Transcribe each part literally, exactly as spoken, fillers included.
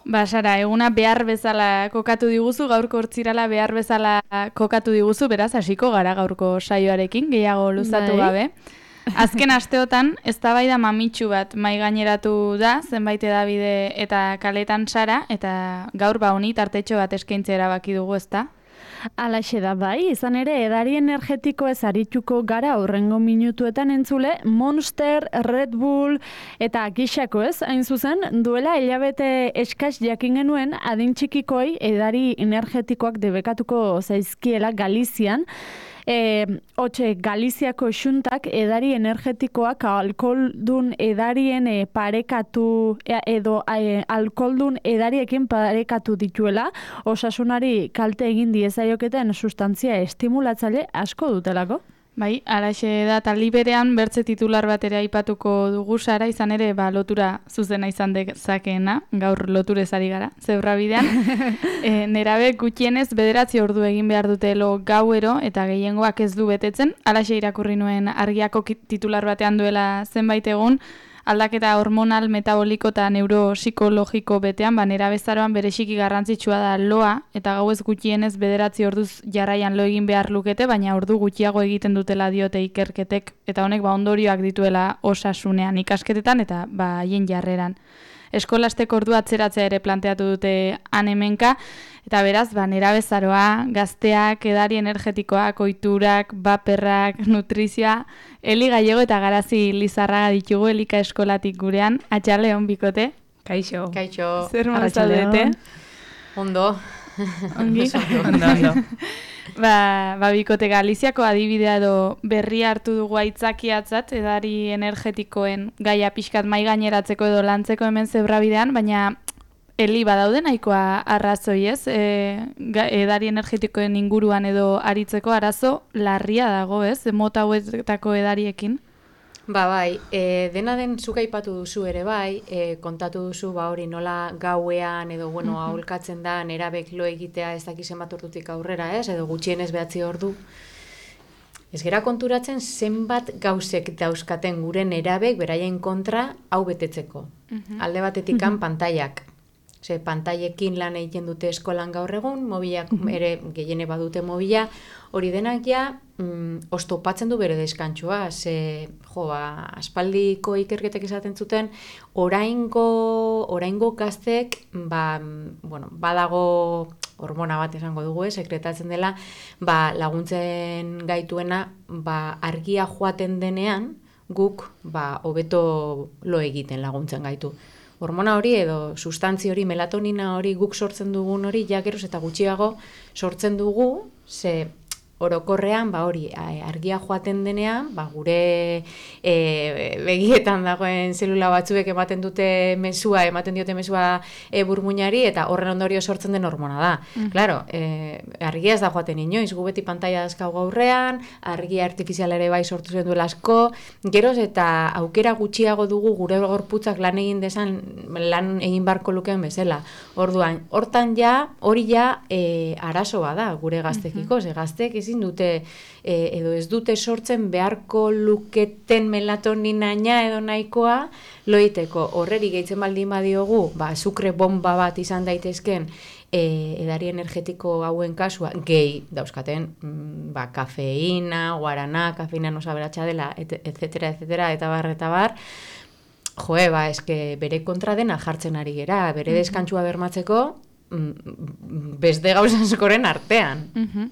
Ba, Sara, eguna behar bezala kokatu diguzu, gaurko hortzirala behar bezala kokatu diguzu, beraz, hasiko gara gaurko saioarekin, gehiago luzatu gabe. Azken asteotan, eztabaida mamitsu bat mai gaineratu da, zenbait edabide eta kaletan Sara, eta gaur ba honi tartetxo bat eskaintzea erabaki dugu, ezta? Alaxe da bai, izan ere edari energetiko ez arituko gara aurrengo minutuetan entzule, Monster, Red Bull eta gixako ez, hain zuzen, duela hilabete eskas jakin genuen adin txikikoi edari energetikoak debekatuko zaizkiela Galizian. E, Otxe, Galiziako xuntak edari energetikoak alkoholdun edarien e, parekatu e, edo e, alkoholdun edariekin parekatu dituela, osasunari kalte egin diezaioketen sustantzia estimulatzaile asko dutelako. Bai, araxe da, eta liberean bertze titular bat ere aipatuko dugu Sara, izan ere ba, lotura zuzena izan dezakeena, gaur loturez ari gara, zebra bidean. e, nerabe gutxienez bederatzi ordu egin behar dutelo gauero, eta gehiengoak ez du betetzen, alaxe irakurri nuen argiako titular batean duela zenbait egun, aldaketa hormonal, metaboliko eta neuropsikologiko betean, ba, nerabezaroan bereziki garrantzitsua da loa, eta gauez gutxienez bederatzi orduz jarraian lo egin behar lukete, baina ordu gutxiago egiten dutela diote ikerketek, eta honek ba, ondorioak dituela osasunean ikasketetan eta ba, haien jarreran. Eskolasteko ordu atzeratzea ere planteatu dute han hemenka, eta beraz, ba, nerabezaroa, gazteak, edari energetikoak, ohiturak, baperrak, nutrizioa, Eli Gallego eta Garazi Lizarraga ditugu Elika eskolatik gurean. Atxaleon bikote. Kaixo. Kaixo. Zer mozaudete? Ondo. Ongi? Ondo, ondo. Ba, ba bikote Galiziako adibidea edo berria hartu dugu aitzakiatzat edari energetikoen gaia pixkat mai gaineratzeko edo lantzeko hemen zebrabidean, baina Eli badaude nahikoa arrazoi ez, e, edari energetikoen inguruan edo aritzeko arazo larria dago ez, mota hauetako edariekin. Ba bai, e, dena den zuk aipatu duzu ere bai, e, kontatu duzu ba hori nola gauean edo bueno, Mhm. aholkatzen da nerabek lo egitea ez dakizen bat ordutik aurrera ez, edo gutxienez behatzi ordu. Ez gera konturatzen zenbat gauzek dauzkaten gure nerabek beraien kontra hau betetzeko. Mhm. Alde batetikan pantaiak. Ze pantailekin lan egiten dute eskolan gaur egun, mobilak ere gehiene badute mobila, hori denak ja mm, oztopatzen du bere deskantsua, ze jo, ba, aspaldiko ikerketek esaten zuten, oraingo, oraingo gaztek, ba, bueno, badago hormona bat esango dugu, eh, sekretatzen dela, ba, laguntzen gaituena, ba, argia joaten denean, guk ba, hobeto lo egiten laguntzen gaitu. Hormona hori edo sustantzi hori, melatonina hori, guk sortzen dugun hori, ja geroz eta gutxiago sortzen dugu, ze orokorrean, ba hori, argia joaten denean, ba gure e, begietan dagoen zelula batzuek ematen dute mezua, ematen diote mezua e, burmuinari, eta horren ondorio sortzen den hormona da. Mm. Claro, e, argia ez da joaten inoiz, gu beti pantaila dazkagu aurrean, argia artifizial ere bai sortu zen duela asko, geroz eta aukera gutxiago dugu gure gorputzak lan egin desan, lan egin barko lukeen bezala. Orduan, hortan ja, hori ja e, arazo bada gure gaztekiko, ze gaztek ezin dute e, edo ez dute sortzen beharko luketen melatoninaina edo nahikoa loiteko. Horreri gehitzen baldin badiogu, ba, azukre bomba bat izan daitezken e, edari energetiko hauen kasua, gehi dauzkaten, mm, ba, kafeina, guarana, kafeina nosaberatxa dela, et, et cetera, et cetera, eta bar, eta bar, joe, ba, eske bere kontra dena jartzen ari gera, bere deskantsua bermatzeko, mm, beste gauzaskoren artean. Mhm.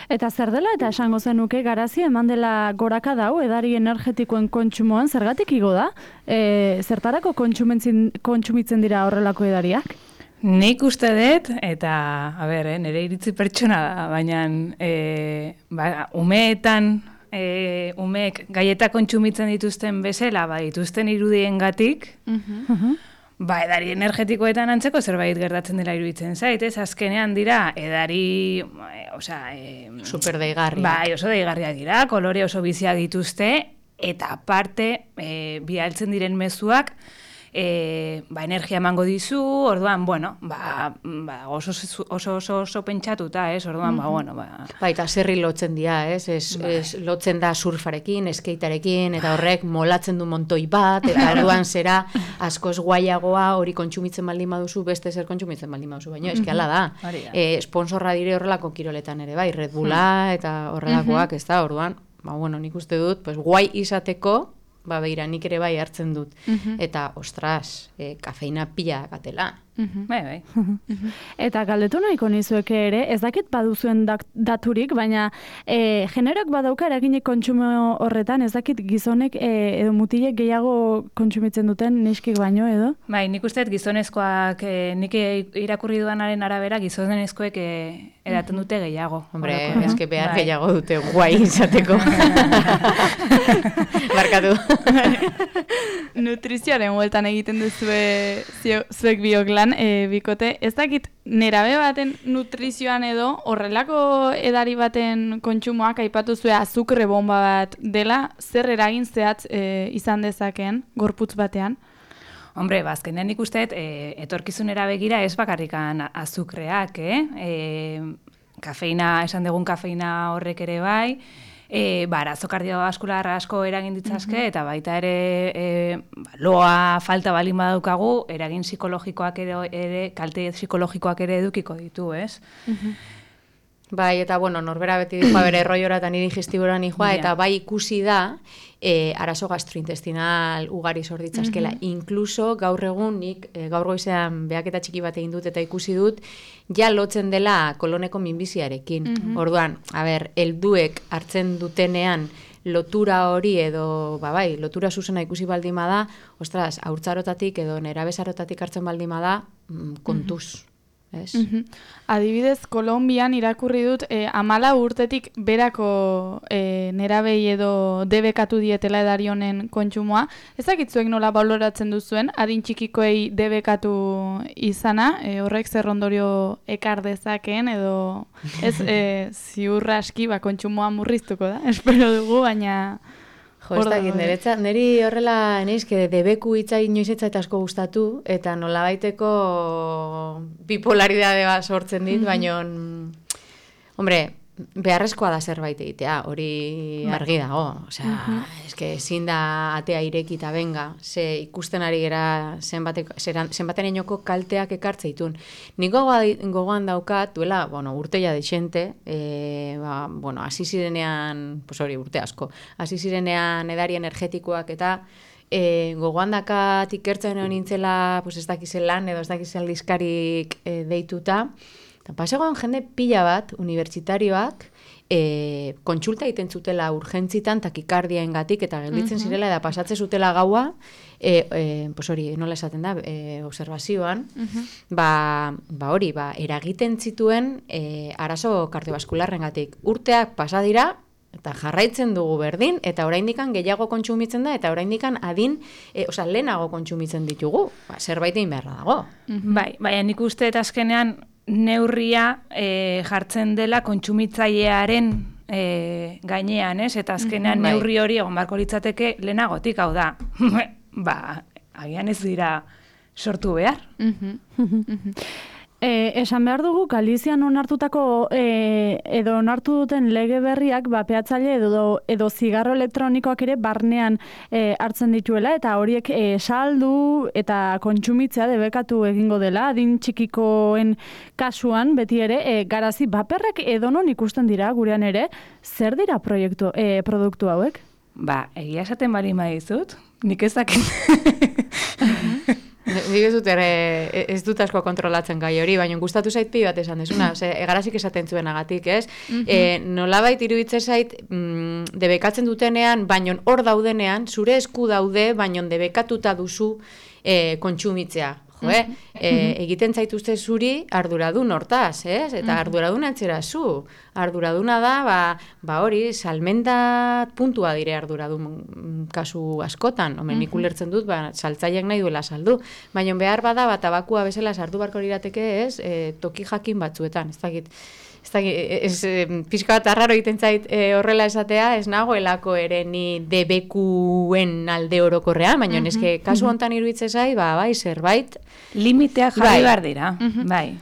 Eta zer dela eta esango zenuke Garazi eman dela goraka dau edari energetikoen kontsumoan zergatik igo da? E, zertarako kontsumitzen dira horrelako edariak? Nik uste dut, eta, a ber, eh, nire iritzi pertsona da, baina e, ba, umeetan, e, umeek gaieta kontsumitzen dituzten bezala, ba, dituzten irudiengatik, Mhm. ba, edari energetikoetan antzeko zerbait gertatzen dela iruditzen zait, ez? Azkenean dira, edari, e, osea, e, Super deigarriak. bai, oso deigarriak dira, kolore oso biziak dituzte, eta aparte, e, bialtzen diren mezuak, e, ba, energia emango dizu, orduan, bueno, ba, ba oso, oso, oso, oso pentsatuta, ez, orduan, ba, bueno, ba... Baita, zerri lotzen dira, ez, ez, Bai. ez lotzen da surfarekin, skatearekin, eta horrek molatzen du montoi bat, eta orduan zera askoz guaiagoa hori kontsumitzen baldin baduzu, beste zer kontsumitzen baldin baduzu, baina eski hala da. Hori da. E, sponsorra dire horrelako kiroletan ere, bai, Red Bulla eta horrelakoak, ez da, orduan, ba, bueno, nik uste dut, pues, guai izateko, ba, beira, nik ere bai hartzen dut. Eta, ostras, e, kafeina pila gatela. Bai, bai. Eta galdetu nahiko nizueke ere, ez dakit baduzuen dak- daturik, baina e, generoak badauka eraginik kontsumo horretan, ez dakit gizonek e, edo mutilek gehiago kontsumitzen duten neskik baino edo? Bai, nik uste dut gizonezkoak, eh, nik irakurri dudanaren arabera, gizonezkoek eh, edaten dute gehiago. Hombre, Orokorrean. eske behar Bai. gehiago dute guai izateko. Barkatu. Nutrizioaren hueltan egiten duzue zio- zuek biok lan, e, bikote. Ez dakit, nerabe baten nutrizioan edo horrelako edari baten kontsumoak aipatu zue azukre bomba bat dela, zer eragin zehatz e, izan dezakeen gorputz batean? Hombre, bazkenean nik uste, e, etorkizunera begira ez bakarrikan azukreak, eh? E, kafeina, esan dugun kafeina horrek ere bai, e, ba, arazo kardiobaskular asko eragin ditzazke, eta baita ere e, ba, loa falta balin badaukagu, eragin psikologikoak ere, ere kalte psikologikoak ere edukiko ditu, ez? Bai, eta bueno, norbera beti dijoa bere erroiora eta niri digestiboran dijoa, Ja. eta bai ikusi da, e, arazo gastrointestinal ugari sorditzazkela. Incluso gaur egun nik, e, gaur goizean behaketa txiki bat egin dut eta ikusi dut, ja lotzen dela koloneko minbiziarekin. Orduan, a ber, helduek hartzen dutenean lotura hori edo, ba bai, lotura zuzena ikusi baldin bada, ostras, haurtzarotatik edo nerabezarotatik hartzen baldin bada, mm, kontuz. Ez? Mhm. Adibidez, Kolonbian irakurri dut e, amala urtetik berako e, nerabei edo debekatu dietela edari honen kontsumoa. Ez dakitzuek nola baloratzen duzuen, adin txikikoei debekatu izana, e, horrek zer ondorio ekar dezakeen edo ez e, ziur aski ba, kontsumoa murriztuko da, espero dugu, baina... Jo, ez dakit, niretzat, niri horrela, neizke, debeku hitza inoiz ez zait asko gustatu, eta nolabaiteko bipolaridade bat sortzen dit, baina, hombre, beharrezkoa da zerbait egitea, hori argi dago. Osea, eske ezin da atea ireki eta benga, ze ikusten ari gera zenbaten enoko kalteak ekartzeitun. Nik gogoan daukat, duela, bueno, urte ja dexente, e, ba, bueno, hasi zirenean, pues hori, urte asko, hasi zirenean edari energetikoak eta e, gogoan dakat ikertzen egon nintzela, pues ez dakizen lan edo ez dakizen aldizkarik e, deituta, eta pasegoan jende pila bat, unibertsitarioak, e, kontsulta egiten zutela urgentzitan takikardiaengatik eta gelditzen zirela eta pasatze zutela gaua, e, e, pues hori, nola esaten da, e, observazioan, ba, ba hori, ba, eragiten zituen e, arazo kardiobaskularrengatik. Urteak pasa dira, eta jarraitzen dugu berdin, eta oraindikan gehiago kontsumitzen da, eta oraindikan adin, e, osea, lehenago kontsumitzen ditugu. Ba, zerbait egin beharra dago. Bai, baina nik uste eta azkenean neurria e, jartzen dela kontsumitzailearen e, gainean, ez? Eta azkenean Bai. neurri hori egon barko litzateke lehenagotik, hau da. Ba, agian ez dira sortu behar. E, esan behar dugu, Galizian onartutako e, edo onartu duten lege berriak ba, peatzaile edo, edo zigarro elektronikoak ere barnean e, hartzen dituela, eta horiek e, saldu eta kontsumitzea debekatu egingo dela, adin txikikoen kasuan, beti ere, e, garazi baperrak edonon ikusten dira gurean ere, zer dira proiektu, e, produktu hauek? Ba, egia esaten bali maizut, nik ezakit. Nik ez dut, ere, ez dut asko kontrolatzen gai hori, baina gustatu zait pi bat esan desuna, ze, egarazik esaten zuenagatik, ez? E, nolabait iruditze zait, mm, debekatzen dutenean, baina hor daudenean, zure esku daude, baina debekatuta duzu e, kontsumitzea. Jo, eh? e, egiten zaituzte zuri arduradun hortaz, ez? Eta arduradun antzera zu. Arduraduna da, ba, ba hori, salmenta puntua dire arduradun kasu askotan. Homen, nik ulertzen dut, ba, saltzaileak nahi duela saldu. Baina behar bada, ba, tabakua bezala sartu barko lirateke, ez? E, toki jakin batzuetan, ez dakit. ez da, ez, pixka bat arraro egiten zait e, horrela esatea, ez nagoelako ere ni debekuen alde orokorrean, baina mm -hmm. eske kasu hontan iruditzen zait, ba, bai, zerbait. Limiteak jarri behar dira, mm -hmm. bai.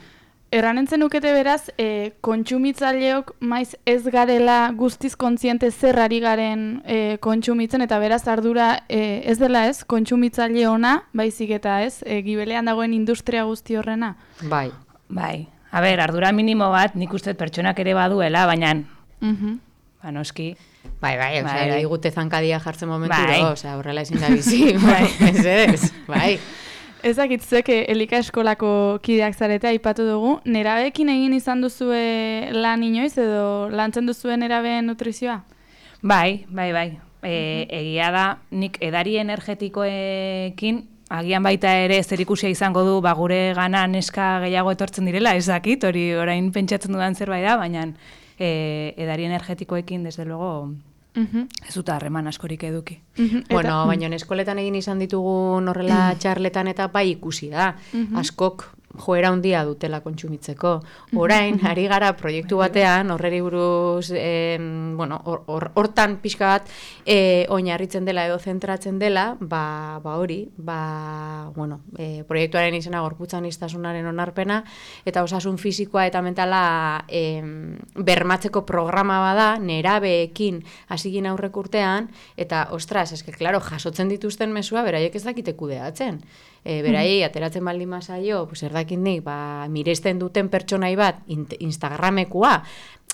Erranentzen nukete beraz, e, kontsumitzaileok maiz ez garela guztiz kontziente zer ari garen e, kontsumitzen, eta beraz ardura e, ez dela ez, kontsumitzaile ona, baizik eta ez, e, gibelean dagoen industria guzti horrena. Bai. Bai. A ber, ardura minimo bat, nik uste pertsonak ere baduela, baina, Mhm. ba, noski. Bai, bai, Bai, osea, bai. digute zankadia jartzen momenturo, Bai. osea, horrela ezin da bizi, bai, ez ez, bai. Ezakitzek Elika eskolako kideak zarete aipatu dugu, nerabeekin egin izan duzue lan inoiz edo lantzen duzuen nerabeen nutrizioa? Bai, bai, bai. E, egia da, nik edari energetikoekin, agian baita ere zerikusia izango du, ba, gure gana neska gehiago etortzen direla, ez dakit, hori orain pentsatzen dudan zerbait da, baina e, edari energetikoekin, desde luego, Mhm. ez dut harreman askorik eduki. Mhm. Eta- Bueno, baina eskoletan egin izan ditugun horrela txarletan eta bai ikusi da. Askok joera handia dutela kontsumitzeko. Orain, ari gara proiektu batean, horreri buruz, eh, bueno, hor- hor- hortan pixka bat, eh, oinarritzen dela edo zentratzen dela, ba, ba hori, ba, bueno, eh, proiektuaren izena gorputzan iztasunaren onarpena, eta osasun fisikoa eta mentala eh, bermatzeko programa bada, nerabeekin hasigin aurrek urtean, eta, ostras, eske, klaro, jasotzen dituzten mesua, beraiek ez dakite kudeatzen. E, beraiei, ateratzen baldin mazaio, pues, erdakin nik, ba, miresten duten pertsonai bat, int- Instagramekua,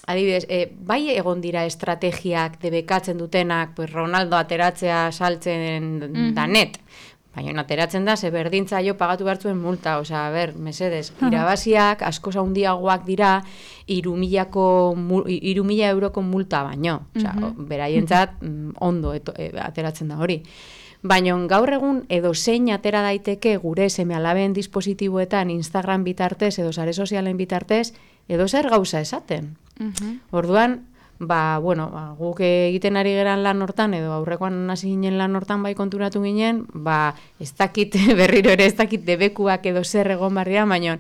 adibidez, e, bai egon dira estrategiak debekatzen dutenak, pues, Ronaldo ateratzea saltzen Mhm. danet, baina ateratzen da, ze berdintzaio pagatu bertzuen multa, osea, a ber, mesedez, irabaziak askoz handiagoak dira, irumilako, irumila euroko multa baino, osea, Mhm. beraientzat mm, ondo eto, e, ateratzen da hori. Baina gaur egun edo zein atera daiteke gure seme-alaben dispositiboetan Instagram bitartez edo sare sozialen bitartez edo zer gauza esaten. Mhm. Orduan, ba, bueno, ba, guk egiten ari geran lan hortan edo aurrekoan hasi ginen lan hortan bai konturatu ginen, ba, ez dakit berriro ere ez dakit debekuak edo zer egon barria, baina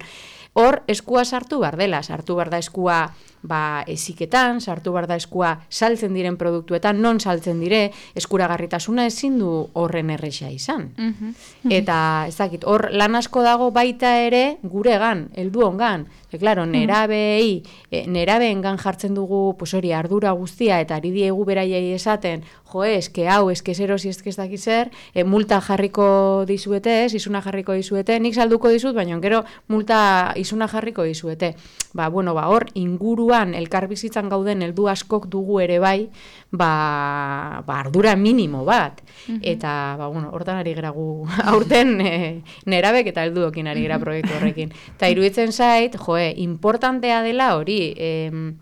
hor eskua sartu bar dela, sartu bar da eskua ba, eziketan, sartu bar da eskua saltzen diren produktuetan, non saltzen dire, eskuragarritasuna ezin du horren erresa izan. Mhm. Eta, ez dakit, hor lan asko dago baita ere guregan, heldu ongan. E, claro, nerabei, e, nerabeengan jartzen dugu, pues hori, ardura guztia, eta ari diegu beraiei esaten, jo, eske hau, eske zerosi, eske ez dakit zer, e, multa jarriko dizuete, ez, izuna jarriko dizuete, nik salduko dizut, baina gero multa izuna jarriko dizuete. Ba, bueno, ba, hor, inguruan, elkar bizitzan gauden heldu askok dugu ere bai, ba, ba ardura minimo bat. Eta, ba, bueno, hortan ari gera gu aurten e, nerabek eta helduokin ari gera proiektu horrekin. Eta iruditzen zait, joe, importantea dela hori, em,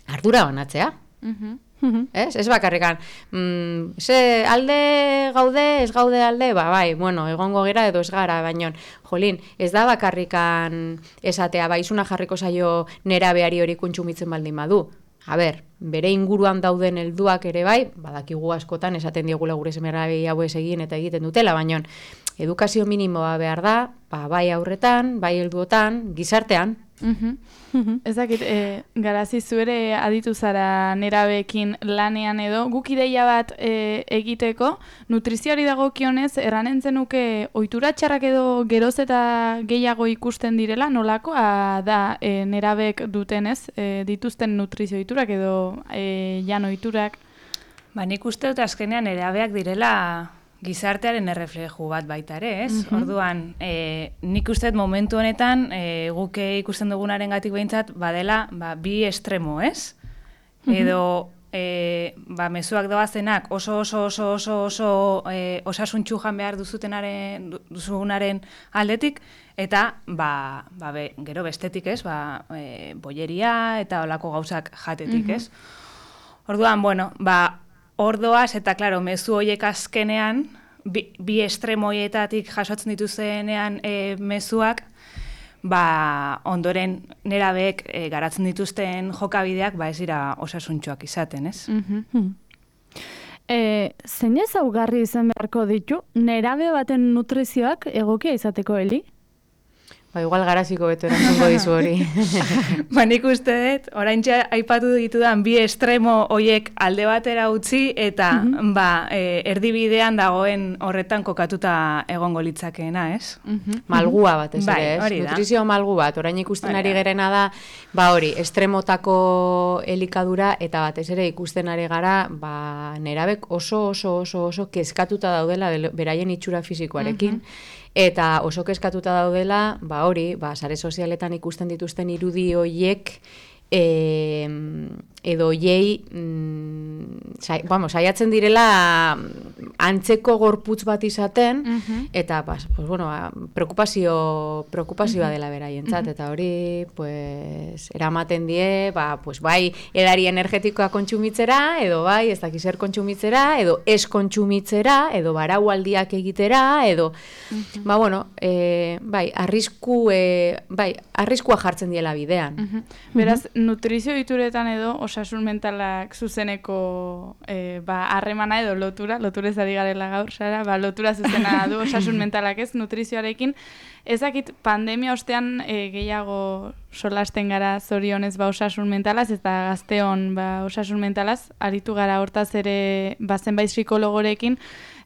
ardura banatzea. Mhm. Ez? Ez bakarrikan, mm, ze alde gaude, ez gaude alde, ba, bai, bueno, egongo gera edo ez gara, baino, jolin, ez da bakarrikan esatea, bai, izuna jarriko zaio nerabeari hori kontsumitzen baldin badu. A ber, bere inguruan dauden helduak ere bai, badakigu askotan esaten diogula gure semerabei hauez egin eta egiten dutela, baino, edukazio minimoa behar da, ba, bai aurretan, bai helduotan, gizartean. Mhm. Ez dakit, e, garazi zuere aditu zara nerabeekin lanean edo, guk ideia bat e, egiteko, nutrizioari dagokionez, erranen zenuke ohitura txarrak edo geroz eta gehiago ikusten direla, nolakoa da e, nerabek dutenez, e, dituzten nutrizio ohiturak edo e, jan ohiturak? Ba, nik uste dut azkenean nerabeak direla gizartearen errefleju bat baita ere, ez? Mhm. Orduan, e, nik uste dut momentu honetan, e, guk ikusten dugunaren gatik behintzat, badela, ba, bi estremo, ez? Edo, e, ba, mezuak doazenak oso oso oso oso oso e, osasuntxu jan behar duzutenaren, duzunaren aldetik, eta, ba, ba be, gero bestetik, ez? Ba, e, boieria eta olako gauzak jatetik, ez? Orduan, bueno, ba, ordoaz, eta, klaro, mezu horiek azkenean, bi, bi estremoietatik jasotzen dituzenean e, mezuak, ba, ondoren nerabeek e, garatzen dituzten jokabideak, ba, ez dira osasuntxoak izaten, ez? Mhm. E, zein ezaugarri izan beharko ditu, nerabe baten nutrizioak egokia izateko, Eli? Ba, igual garaziko beto erantzungo dizu hori. Ba, nik uste dut, oraintxe aipatu ditudan bi estremo hoiek alde batera utzi, eta mm-hmm. ba, e, erdibidean dagoen horretan kokatuta egongo litzakeena, ez? Mhm. Malgua bat ez Bai, ere, ez? hori da. Nutrizio malgu bat, orain ikusten Hori ari da. gerena da, ba hori, estremotako elikadura, eta batez ere ikusten ari gara, ba, nerabek oso oso oso oso kezkatuta daudela bele- beraien itxura fisikoarekin, eta oso kezkatuta daudela, ba hori, ba, sare sozialetan ikusten dituzten irudi hoiek, e, edo hoiei, mm, sai, vamos, saiatzen direla antzeko gorputz bat izaten, eta pues, pues, bueno, ba, preokupazio, preokupazioa dela beraientzat, eta hori pues, eramaten die, ba, pues, bai edari energetikoa kontsumitzera, edo bai ez dakiz zer kontsumitzera, edo ez kontsumitzera, edo baraualdiak egitera, edo, ba, bueno, e, bai, arrisku, e, bai, arriskua jartzen diela bidean. Beraz, nutrizio dituretan edo osasun mentalak zuzeneko eh, ba, harremana edo lotura, loturez ari garela gaur, Sara, ba, lotura zuzena du osasun mentalak ez, nutrizioarekin. Ezakit pandemia ostean eh, gehiago solasten gara zorionez ba, osasun mentalaz, eta gazteon ba, osasun mentalaz, aritu gara hortaz ere ba, zenbait psikologorekin,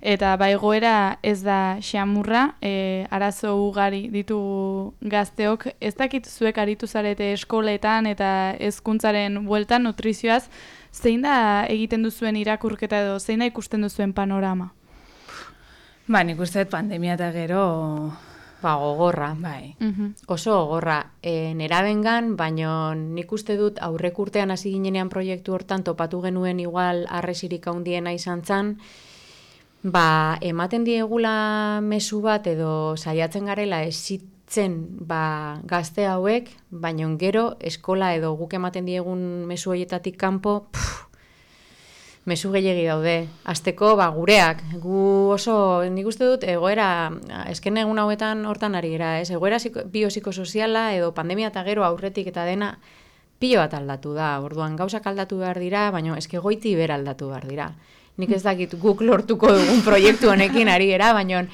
eta ba, egoera ez da xamurra, e, arazo ugari ditu gazteok. Ez dakit zuek aritu zarete eskoletan eta hezkuntzaren bueltan nutrizioaz, zein da egiten duzuen irakurketa edo zein da ikusten duzuen panorama? Ba, nik uste dut pandemia eta gero... Ba, gogorra. Bai. Oso gogorra. E, nerabengan, baino nik uste dut aurrek urtean hasi ginenean proiektu hortan topatu genuen igual arresirik handiena izan zan, ba, ematen diegula mezu bat edo saiatzen garela esitzen ba, gazte hauek, baino gero eskola edo guk ematen diegun mezu horietatik kanpo, pff, mezu gehiegi daude. Azteko, ba, gureak. Gu oso, nik uste dut, egoera, esken egun hauetan hortan ari gara, ez? Egoera biopsikosoziala edo pandemia eta gero aurretik eta dena, pilo bat aldatu da. Orduan, gauzak aldatu behar dira, baina eske goiti bera aldatu behar dira. Nik ez dakit guk lortuko dugun proiektu honekin ari gara, baina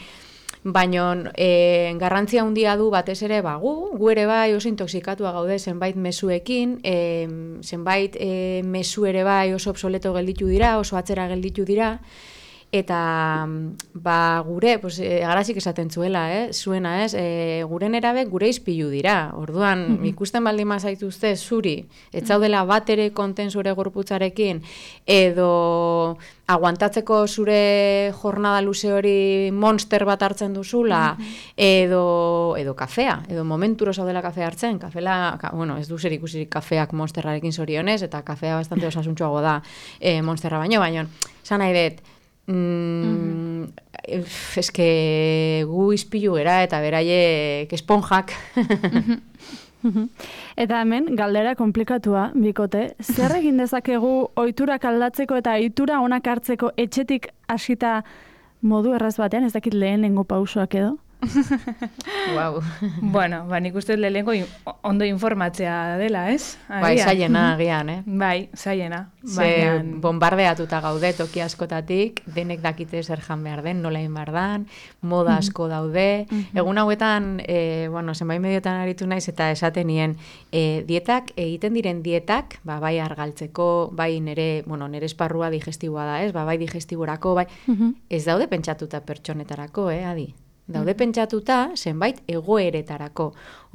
baino e, garrantzia handia du batez ere ba, gu, gu ere bai oso intoxikatua gaude zenbait mezuekin, e, zenbait e, mezu ere bai oso obsoleto gelditu dira, oso atzera gelditu dira, eta ba, gure, pues, e, garazik esaten zuela, eh? zuena ez, e, gure nerabek gure izpilu dira, orduan mm-hmm. ikusten baldin mazaituzte zuri, etzaudela bat ere konten zure gorputzarekin, edo aguantatzeko zure jornada luze hori monster bat hartzen duzula, mm-hmm. edo, edo kafea, edo momenturo zaudela kafea hartzen, kafela, ka, bueno, ez du zer ikusirik kafeak monsterrarekin zorionez, eta kafea bastante osasuntxoago da e, monsterra baino, baino, esan nahi dut, mm, mm-hmm. eske gu izpilu gera eta beraiek esponjak. Eta hemen, galdera komplikatua, bikote, zer egin dezakegu ohiturak aldatzeko eta ohitura onak hartzeko etxetik hasita modu erraz batean, ez dakit lehenengo pausoak edo? Wow. Bueno, ba, nik uste lehenengo in, ondo informatzea dela, ez? Bai, zaiena agian, eh? Bai, zaiena. Ze bombardeatuta gaude toki askotatik, denek dakite zer jan behar den, nola egin behar dan, moda asko daude. Egun hauetan, e, bueno, zenbait mediotan aritu naiz eta esaten nien, e, dietak, egiten diren dietak, ba, bai argaltzeko, bai nere, bueno, nere esparrua digestiboa da, ez? Ba, bai digestiborako, bai, ez daude pentsatuta pertsonetarako, eh, adi? Daude pentsatuta zenbait egoeretarako.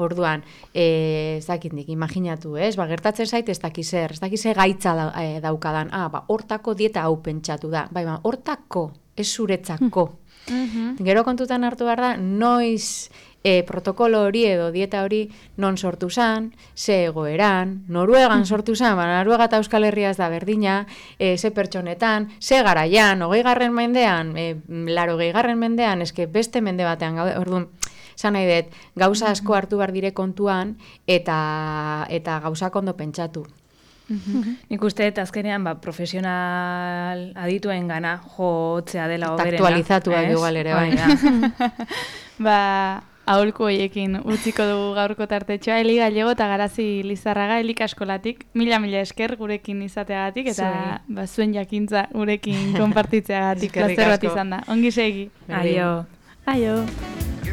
Orduan, eh, ez dakindik, imaginatu, ez? Ba, gertatzen zait ez dakizer, ez dakize gaitza da, e, daukadan. Ah, ba, hortako dieta hau pentsatu da. Bai, ba, hortako, ez zuretzako. Mm-hmm. Gero kontutan hartu behar da, noiz e, protokolo hori edo dieta hori non sortu zan, ze egoeran, Noruegan sortu zan, ba, Noruega eta Euskal Herria ez da berdina, e, ze pertsonetan, ze garaian, hogei garren mendean, e, laro gehi garren mendean, eske beste mende batean gaude, orduan, esan nahi dut, gauza asko hartu behar dire kontuan, eta, eta gauzak ondo pentsatu. Mm-hmm. Nik uste, azkenean, ba, profesional adituen gana jotzea dela eta oberena. Eta aktualizatuak igual ere, bai. Ba, aholku hoiekin utziko dugu gaurko tartetxoa, Eli Gallego eta Garazi Lizarraga, Elika Eskolatik, mila-mila esker gurekin izateagatik, eta ba, zuen jakintza gurekin konpartitzeagatik, plazer bat izan da. Ongi segi. Aio. Aio.